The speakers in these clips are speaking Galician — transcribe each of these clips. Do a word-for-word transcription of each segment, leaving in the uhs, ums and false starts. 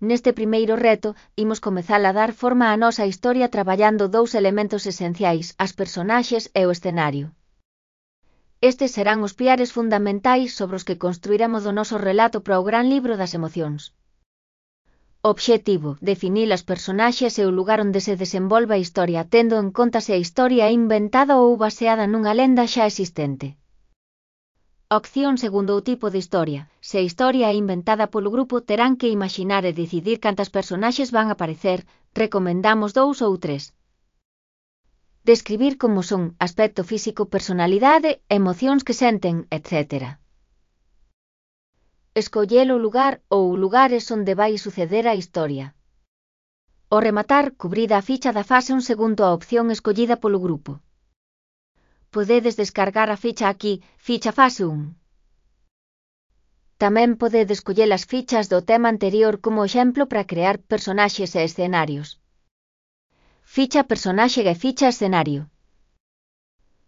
Neste primeiro reto, imos comezar a dar forma á nosa historia traballando dous elementos esenciais, as personaxes e o escenario. Estes serán os piares fundamentais sobre os que construiremos o noso relato para o gran libro das emocións. Obxectivo: definir as personaxes e o lugar onde se desenvolve a historia, tendo en conta se a historia é inventada ou baseada nunha lenda xa existente. Opción segundo o tipo de historia. Se a historia é inventada polo grupo, terán que imaxinar e decidir cantas personaxes van aparecer, recomendamos dous ou tres. Describir como son, aspecto físico, personalidade, emocións que senten, etcétera. Escoller o lugar ou lugares onde vai suceder a historia. Ao rematar, cubrid a ficha da fase un segundo a opción escollida polo grupo. Podedes descargar a ficha aquí, ficha fase un. Tamén podedes escoller as fichas do tema anterior como exemplo para crear personaxes e escenarios. Ficha personaxe e ficha escenario.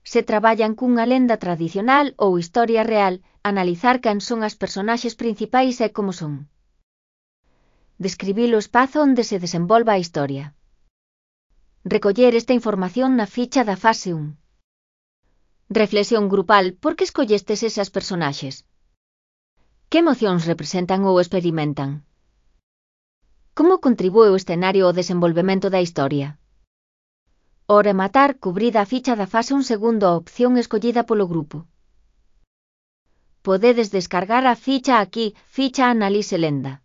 Se traballan cunha lenda tradicional ou historia real, analizar quen son as personaxes principais e como son. Describir o espazo onde se desenvolva a historia. Recoller esta información na ficha da fase un. Reflexión grupal: por que escollestes esas personaxes? Que emocións representan ou experimentan? Como contribúe o escenario ao desenvolvemento da historia? Ao rematar, cubrid a ficha da fase un segundo a opción escollida polo grupo. Podedes descargar a ficha aquí, ficha Análise Lenda.